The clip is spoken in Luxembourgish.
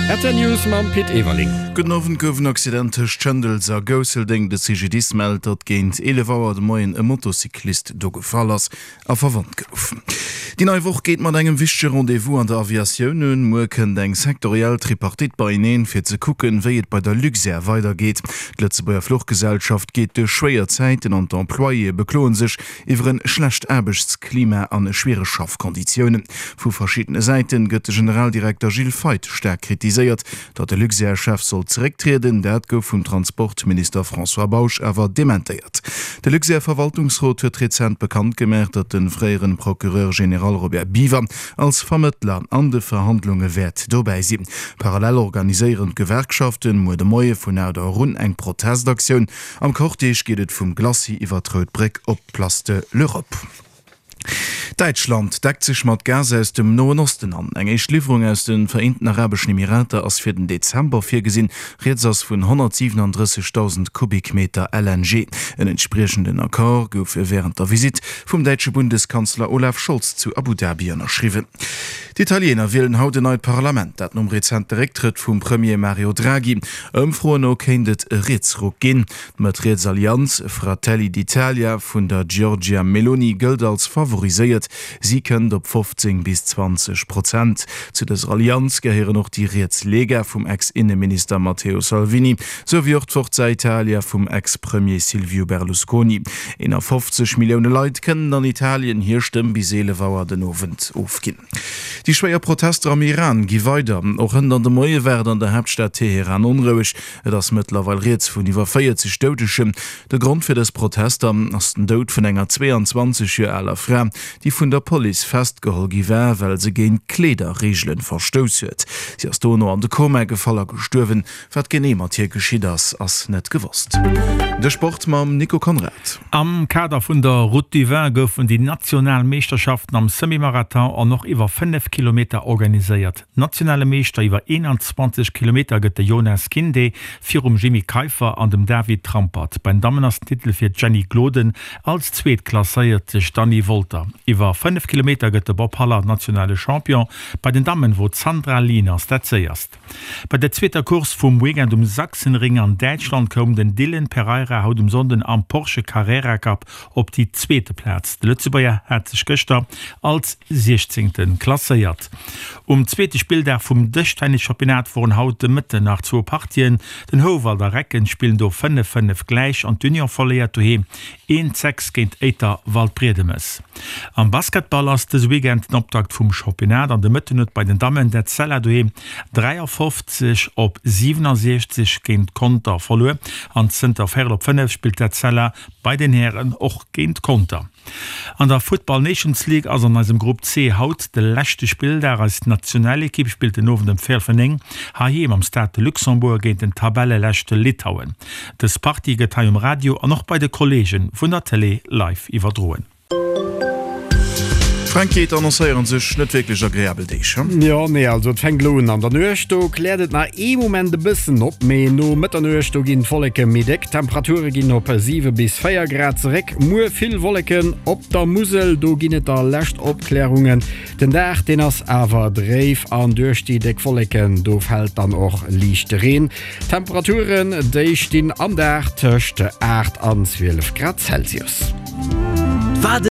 Rtl News mam Pit Everling. Gudden Owend, Gouf en Accident tëscht Schëndels a Gousseldeng. De CGDIS mellt, datt géint 11 Auer de Moien e Motocyclist do gefall ass a verwonnt gouf. Déi nei Woch geet mat engem wichtege Rendez-vous an der Aviatioun un. Muer kënnt eng sektoriell Tripartite beieneen, fir ze kucken, wéi et bei der Luxair weidergeet. D'Lëtzebuerger Fluchgesellschaft geet duerch schwéier Zäiten an d'Employéë bekloe sech iwwer en schlecht Aarbechtsklima an schwiereg Schaffkonditiounen. Vu verschiddene Säiten gëtt de Generaldirekter Gilles Feith staark kritiséiert. Datt de Luxair-Chef soll zerécktrieden, dat gouf vum Transportminister François Bausch awer dementéiert. De Luxair-Verwaltungsrot huet rezent bekannt gemaach, datt de fréieren Procureur général Robert Biever als Vermëttler an de Verhandlunge wäert dobäi sinn. Parallel organiséieren d'Gewerkschaften muer de Moie vun 8 Auer un eng Protestaktioun. Am Cortège geet et vum Glacis iwwer d'Rout Bréck op d'Place de l'Europe. Däitschland deckt sech mat Gas aus dem Noen Osten an. Eng éischt Liwwerung aus de Vereenten Arabeschen Emirater ass fir den Dezember virgesinn. Rieds ass vun 137.000 Kubikmeter LNG. En entspriechenden Accord gouf wärend der Visitt vum däitsche Bundeskanzler Olaf Scholz zu Abu Dhabi ënnerschriwwen. D'Italiener wielen haut en neit Parlament, dat nom rezente Récktrëtt vum Premier Mario Draghi. Ëmfroen no kéint et e Rietsruck ginn. D'Mëtt-riets Allianz Fratelli d'Italia vun der Giorgia Meloni gëllt als favoriséiert, si kënnt op 15 bis 20 Prozent. Zu dëser Allianz gehéieren och déi riets Lega vum Ex-Inneminister Matteo Salvini, sou wéi och d'Forza Italia vum Ex-Premier Silvio Berlusconi. 51 Millioune Leit kënnen an Italien hir Stëmm bis 11 Auer den Owend ofginn. Déi schwéier Protester am Iran gi weider. Och hënt an de Moie war et an der Haaptstad Teheran onroueg. Et ass mëttlerweil rieds vun iwwer 40 Doudegen. De Grond fir dës Protester ass den Doud vun enger 22 Joer aler Fra, déi vun der Police festgeholl gi war, well se géint d'Kleederreegele verstouss huet. Si ass dono an de Koma gefall a gestuerwen. Wat genee mat hir geschitt ass, ass net gewosst. De Sport mam Nico Conrad. Am Kader vun der Route du Vin goufen déi national Meeschterschaften am Semi-Marathon an och iwwer 5 Kilometer organiséiert. Nationale Meeschter iwwer 21 Kilometer gëtt de Jonas Kinde virum Jimmy Keiffer an dem David Trampert. Bei den Dammen ass den Titel fir d'Jenny Gloden, als Zweet klasséiert sech d'Anny Wolter. Iwwer 5 Kilometer gëtt de Bob Haller nationale Champion. Bei den Dammen wor d'Sandra Lieners dat séierst. Bei der zweeter Course vum Weekend um Sachsenring an Däitschland koum den Dylan Pereira haut um Sonnden am Porsche Carrera Cup op déi zweete Plaz. De Lëtzebuerger hat sech gëschter als Siechzéngte klasséiert. Um zweete Spilldag vum Dëschtennis-Championnat woren haut de Mëtten nach zwou Partien. Den Houwald a Recken spillen do 5, 5 gläich an d'Union verléiert doheem 1, 6 géint Éiter Waldbriedemes. Am Basketball ass dëse Weekend den Optakt vum Championnat an de Mëtten huet bei den Dammen d'Etzella doheem 53 op 67 géint Conter verluer an zënter véierel op 5 spillt d'Etzella bei den Hären och géint Conter. An der Futtball Nations League ass an eisem Grupp C haut de leschte Spilldag. Eis Nationalekipp spillt den Owend ëm véierel vun 9 heiheem am Stade de Luxembourg géint den Tabelleleschte Litauen. Dës Partie gëtt hei um Radio an och bei de Kolleege vun der Tëlee live iwwerdroen. Franky, et annoncéieren sech net wierklech agreabel Deeg, he? Jo, nee, also et fänkt elo un an der Nuecht, do kläert et nach ee Moment e bëssen op, mee no Mëtternuecht, do ginn d'Wolleke méi déck, d'Temperature ginn op 7 bis 4 Grad zeréck. Muer vill Wolleken op der Musel, do ginn et da lescht Opklärungen. Den Dag, deen ass awer dréif an duerch déi déck Wolleken, do fält dann och liichte Reen. D'Temperaturen, déi stinn am Dag tëscht 8 an 12 Grad Celsius.